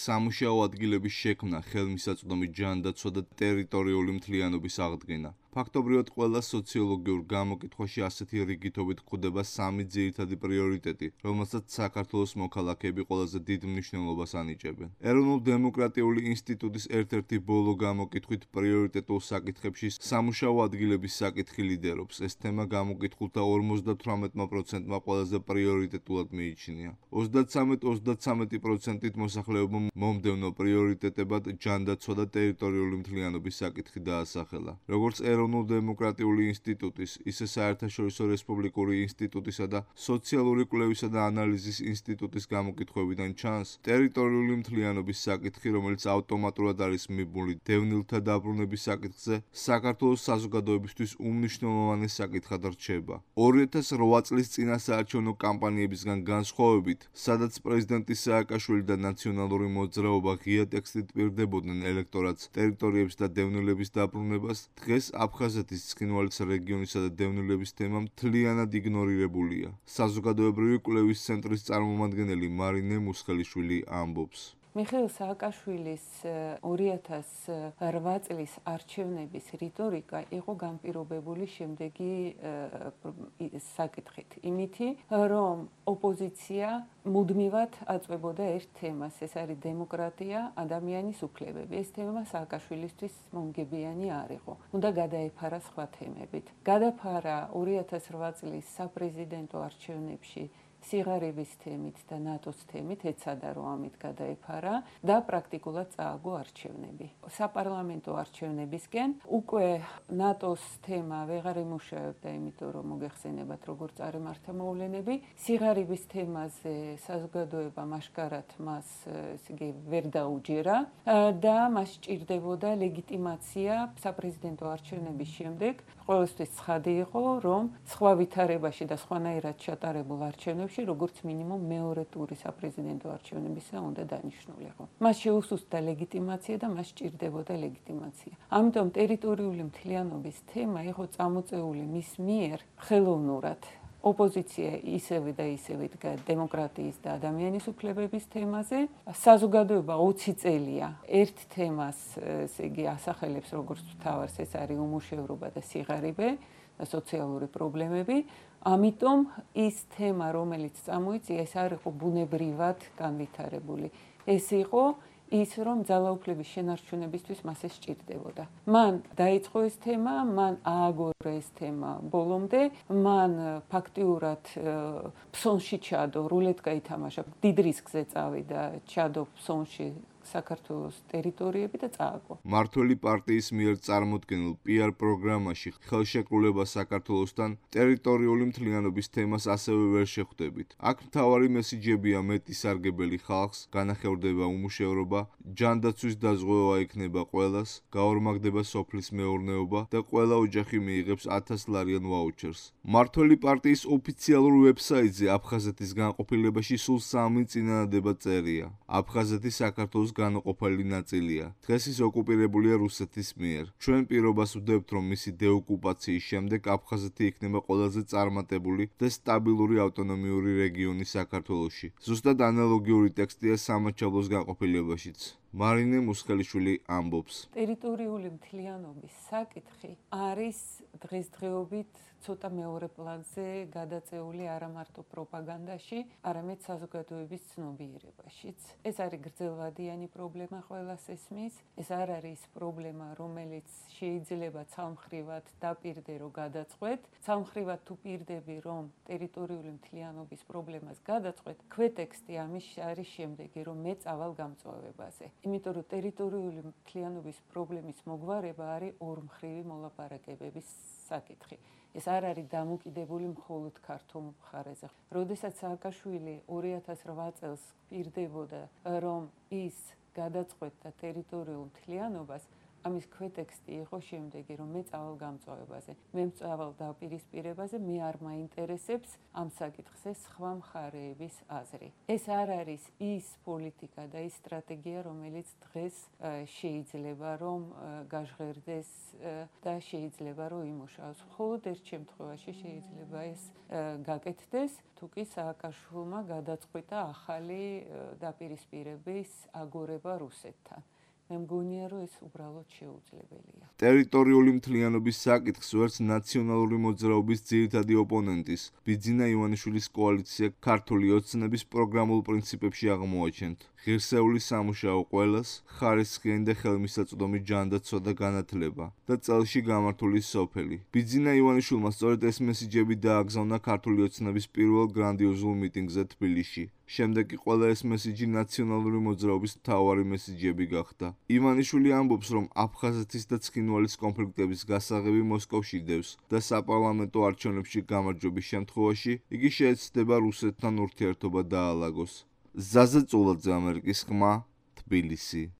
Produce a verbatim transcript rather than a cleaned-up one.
სამუშაო ადგილების შექმნა, ხელმისაწვდომი ჯანდაცვა და ტერიტორიული მთლიანობის აღდგენა. ფაქტობრივად ყველა სოციოლოგიურ გამოკითხვაში ასეთი რიგითობით გვხვდება სამი ძირითადი პრიორიტეტი, რომელსაც საქართველოს მოქალაქეები ყველაზე დიდ მნიშვნელობას ანიჭებენ. ეროვნულ-დემოკრატიული ინსტიტუტის ერთ-ერთი ბოლო გამოკითხვით პრიორიტეტულ საკითხებში სამუშაო ადგილების საკითხი ლიდერობს. ეს თემა გამოკითხულთა ორმოცდათვრამეტ პროცენტმა ყველაზე პრიორიტეტულად მიიჩნია. ოცდათსამეტ ოცდათსამეტ პროცენტით მოსახლეობამ მომდევნო პრიორიტეტებად ჯანდაცვა და ტერიტორიული მთლიანობის საკითხი დაასახელა. როგორც ეროვნულ-დემოკრატიული ინსტიტუტის, ისე საერთაშორისო რესპუბლიკური ინსტიტუტისა და სოციალური კვლევისა და ანალიზის ინსტიტუტის გამოკითხვებიდან ჩანს, ტერიტორიული მთლიანობის საკითხი, რომელიც ავტომატურად არის მიბმული დევნილთა დაბრუნების საკითხზე, საქართველოს საზოგადოებისთვის უმნიშვნელოვანეს საკითხად რჩება. ორი ათას რვა წლის წინასაარჩევნო კამპანიებისგან განსხვავებით, სადაც პრეზიდენტი სააკაშვილი და ნაციონალური მოძრაობა ღია ტექსტით პირდებოდნენ ელექტორატს ტერიტორიების და დევნილების დაბრუნებას, დღეს აფხაზეთის, ცხინვალის რეგიონისა და დევნილების თემა მთლიანად იგნორირებულია. საზოგადოებრივი კვლევის ცენტრის წარმომადგენელი მარინე მუსხელიშვილი ამბობს. მიხეილ სააკაშვილის ორი ათას რვა წლის არჩევნების რიტორიკა იყო განპირობებული შემდეგი საკითხით. იმითი, რომ ოპოზიცია მუდმივად აწვებოდა ერთ თემას, ეს არის დემოკრატია, ადამიანის უფლებები. ეს თემა სააკაშვილისთვის მომგებიანი არ იყო. უნდა გადაეფარა სხვა თემებით. გადაფარა ორი ათას რვა წლის საპრეზიდენტო არჩევნებში სიღარიბის თემით და ნატოს თემით, ეცადა რომ ამით გადაეფარა და პრაქტიკულად წააგო არჩევნები. საპარლამენტო არჩევნებისკენ უკვე ნატოს თემა ვეღარ იმუშავებდა, იმიტომ რომ მოგეხსენებათ როგორ წარემართა მოვლენები. სიღარიბის თემაზე საზოგადოება მაშკარად მას ესე იგი ვერ დაუჯერა და მას სჭირდებოდა ლეგიტიმაცია საპრეზიდენტო არჩევნების შემდეგ. ყველასთვის ცხადი იყო, რომ სხვა ვითარებაში და სხვანაირად ჩატარებულ არჩევნებში როგორც მინიმუმ მეორე ტური საპრეზიდენტო არჩევნებისა უნდა დანიშნულიყო. მას შეუსუსტდა ლეგიტიმაცია და მას სჭირდებოდა ლეგიტიმაცია. ამიტომ ტერიტორიული მთლიანობის თემა იყო წამოწეული მის მიერ ხელოვნურად. ოპოზიცია ისევე და ისევე დგა დემოკრატიის და ადამიანის უფლებების თემაზე. საზოგადოება ოცი წელია ერთ თემას ესე იგი ასახელებს როგორც მთავარს, ეს არის უმუშევრობა და სიღარიბე და სოციალური პრობლემები. ამიტომ ის თემა, რომელიც წამოიწია, ეს არ იყო ბუნებრივად განვითარებული. ეს იყო ის, რომ ძალაუფლების შენარჩუნებისთვის მას ეს სჭირდებოდა. მან დაიწყო ეს თემა, მან ააგორა ეს თემა ბოლომდე, მან ფაქტიურად ფსონში ჩადო, რულეტკა ითამაშა, დიდ რისკზე წავიდა, ჩადო ფსონში საქართველოს ტერიტორიები და წააგო. მართველი პარტიის მიერ წარმოდგენილ პი არ პროგრამაში ხელშეკრულება საქართველოსთან ტერიტორიული მთლიანობის თემას ასევე ვერ შეხვდებით. აქ მთავარი მესიჯებია მეტი სარგებელი ხალხს, განახევრდება უმუშევრობა, ჯანდაცვის დაზღვევა იქნება ყველას, გაორმაგდება სოფლის მეურნეობა და ყველა ოჯახი მიიღებს ათასლარიან ვაუჩერს. მართველი პარტიის ოფიციალურ ვებსაიტზე აფხაზეთის განყოფილებაში სულ სამი წინადადება წერია. აფხაზეთი საქართველოს განუყოფელი ნაწილია. დღეს ის ოკუპირებულია რუსეთის მიერ. ჩვენ პირობას ვდებთ, რომ მისი დეოკუპაციის შემდეგ აფხაზეთი იქნება ყველაზე წარმატებული და სტაბილური ავტონომიური რეგიონი საქართველოში. ზუსტად ანალოგიური ტექსტია სამაჩაბლოს განყოფილებაშიც. მარინე მუსხელიშვილი ამბობს. ტერიტორიული მთლიანობის საკითხი არის დღესდღეობით ცოტა მეორე პლანზე გადაწეული არა მარტო პროპაგანდაში, არამედ საზოგადოების ცნობიერებაშიც. ეს არის გრძელვადიანი პრობლემა ყველას ესმის. ეს არ არის პრობლემა, რომელიც შეიძლება ცალმხრივად დაპირდე რომ გადაწყვეტ. ცალმხრივად თუ პირდები, რომ ტერიტორიული მთლიანობის პრობლემას გადაწყვეტ, ქვეტექსტი ამის არის შემდეგი, რომ მე წავალ გამწვავებაზე. იმიტომ რომ ტერიტორიული მთლიანობის პრობლემის მოგვარება არის ორმხრივი მოლაპარაკებების საკითხი. ეს არ არის დამოკიდებული მხოლოდ ქართულ მხარეზე. როდესაც სააკაშვილი ორი ათას რვა წელს პირდებოდა, რომ ის გადაწყვეტდა ტერიტორიულ მთლიანობას, ამის ქვეტექსტი იყო შემდეგი, რომ მე წავალ გამწვავებაზე, მე მწავალ დაპირისპირებაზე, მე არ მაინტერესებს ამ საკითხზე სხვა მხარეების აზრი. ეს არ არის ის პოლიტიკა და ის სტრატეგია, რომელიც დღეს შეიძლება რომ გაჟღერდეს და შეიძლება რომ იმუშაოს. მხოლოდ ერთ შემთხვევაში შეიძლება ეს გაკეთდეს, თუ კი სააკაშვილმა გადაწყვიტა ახალი დაპირისპირების აგორება რუსეთთან. მე მგონია, რომ ეს უბრალოდ შეუძლებელია. ტერიტორიული მთლიანობის საკითხს ვერც ნაციონალური მოძრაობის ძირითადი ოპონენტის, ბიძინა ივანიშვილის კოალიცია ქართული ოცნების პროგრამულ პრინციპებში აღმოაჩენთ. ღირსეული სამუშაო ყველას, ხარისხიანი და ხელმისაწვდომი ჯანდაცვა და განათლება და წელში გამართული სოფელი. ბიძინა ივანიშვილმა სწორედ ეს მესიჯები დააგზავნა ქართული ოცნების პირველ გრანდიოზულ მიტინგზე თბილისში. შემდეგ კი ყველა ეს მესიჯი ნაციონალური მოძრაობის მთავარი მესიჯები გახდა. ივანიშვილი ამბობს, რომ აფხაზეთის და ცხინვალის კონფლიქტების გასაღები მოსკოვში დევს და საპარლამენტო არჩევნებში გამარჯვების შემთხვევაში იგი შეეცდება რუსეთთან ურთიერთობა დაალაგოს. ზაზა წულაძე, ამერიკის ხმა, თბილისი.